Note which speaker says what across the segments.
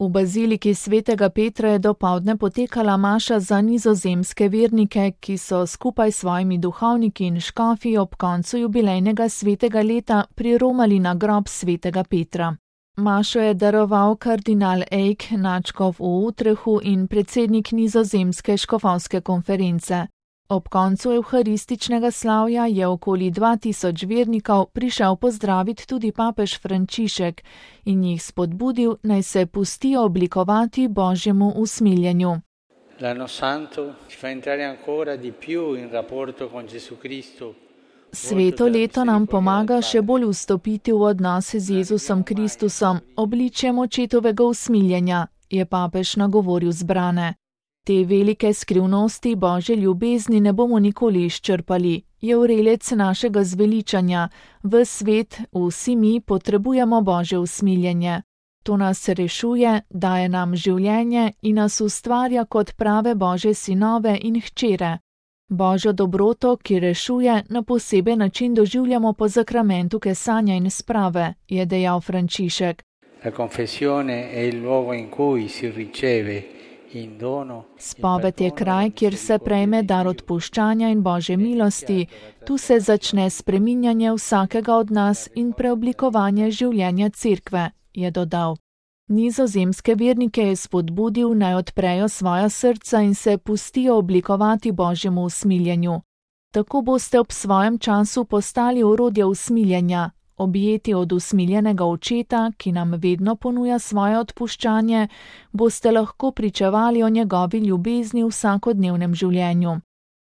Speaker 1: V baziliki svetega Petra je dopoldne potekala maša za nizozemske vernike, ki so skupaj s svojimi duhovniki in škofi ob koncu jubilejnega svetega leta priromali na grob svetega Petra. Mašo je daroval kardinal Eik, nadškof v Utrechu in predsednik nizozemske škofovske konference. Ob koncu evharističnega slavja je okoli 2000 vernikov prišel pozdraviti tudi papež Frančišek in jih spodbudil, naj se pustijo oblikovati Božjemu usmiljenju.
Speaker 2: L'anno santo ci fa entrare ancora di più in rapporto con Gesù Cristo.
Speaker 1: Sveto leto nam pomaga še bolj vstopiti v odnose z Jezusom Kristusom, obličjem očetovega usmiljenja, je papež nagovoril zbrane. Te velike skrivnosti Božje ljubezni ne bomo nikoli izčrpali, je vrelec našega zveličanja. V svet, vsi mi potrebujemo Božje usmiljenje. To nas rešuje, daje nam življenje in nas ustvarja kot prave Božje sinove in hčere. Božjo dobroto, ki rešuje, na poseben način doživljamo po zakramentu kesanja in sprave, je dejal Frančišek.
Speaker 2: La confessione è il luogo in cui si riceve in dono.
Speaker 1: Spoved je kraj, kjer se prejme dar odpuščanja in Božje milosti. Tu se začne spreminjanje vsakega od nas in preoblikovanje življenja cerkve, je dodal. Nizozemske vernike je spodbudil, naj odprejo svoja srca in se pustijo oblikovati Božjemu usmiljenju. Tako boste ob svojem času postali orodje usmiljenja, objeti od usmiljenega očeta, ki nam vedno ponuja svoje odpuščanje, boste lahko pričevali o njegovi ljubezni v vsakodnevnem življenju.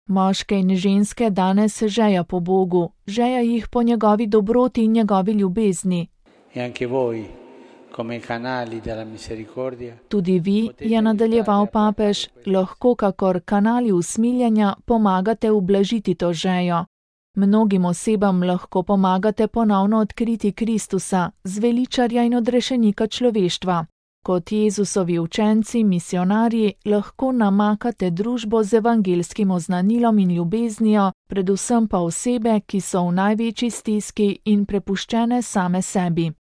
Speaker 1: Moške in ženske danes žeja po Bogu, žeja jih po njegovi dobroti in njegovi ljubezni.
Speaker 2: E anche voi, come canali della misericordia.
Speaker 1: Tudi vi, je nadaljeval papež, lahko kakor kanali usmiljenja pomagate ublažiti to žejo. Mnogim osebam lahko pomagate ponovno odkriti Kristusa, zveličarja in odrešenika človeštva. Kot Jezusovi učenci, misionarji, lahko namakate družbo z evangelskim oznanilom in ljubeznijo, predvsem pa osebe, ki so v največji stiski in prepuščene same sebi.